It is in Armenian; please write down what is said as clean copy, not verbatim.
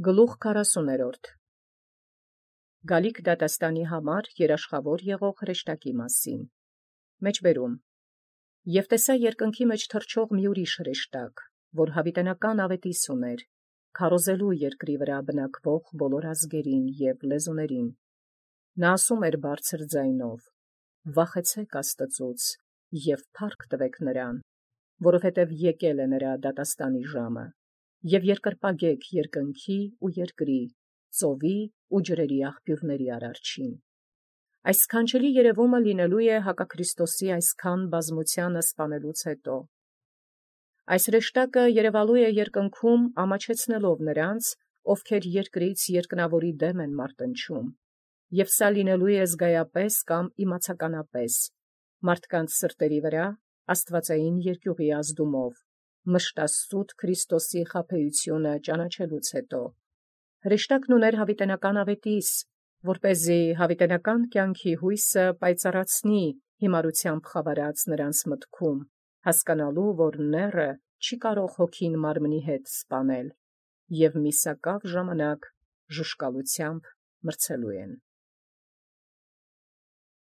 Գլուխ 40 Գալիք դատաստանի համար երաշխավոր եղող հրեշտակի մասին։ Մեջբերում. Եւ տեսա երկնքի մեջ թռչող մի ուրիշ հրեշտակ, որ յաւիտենական աւետիս ուներ, քարոզելու երկրի վրա բնակվող բոլոր ազգերին եւ լեզուներին։ Նա ասում էր բարձր ձայնով. «Վախեցեք Աստծուց եւ փառք տվեք նրան, որովհետեւ եկել է նրա դատաստանի ժամը, եւ երկրպագեք երկնքի ու երկրի, ծովի ու ջրերի աղբյուրների արարչին»։ Այս սքանչելի երևումը լինելու է հակաքրիստոսի այսքան բազմութեանը սպանելուց հետո։ Այս հրեշտակը երևալու է երկնքում ամաչեցնելով նրանց, ովքեր երկրից երկնավորի դեմ են մարտնչում, եւ սա լինելու է զգայապես կամ իմացականապես, մարդկանց սրտերի վրա աստվածային երկյուղի ազդումով, մշտասուտ Քրիստոսի խաբեությունը ճանաչելուց հետո։ Հրեշտակն ուներ յաւիտենական աւետիս, որպէզի յաւիտենական կյանքի հույսը պայծառացնի հիմարութեամբ խավարած նրանց մտքում, հասկանալու, որ նեռը չի կարող հոգին մարմնի հետ սպանել, եւ միսակավ ժամանակ ժուշկալութեամբ մրցելու են։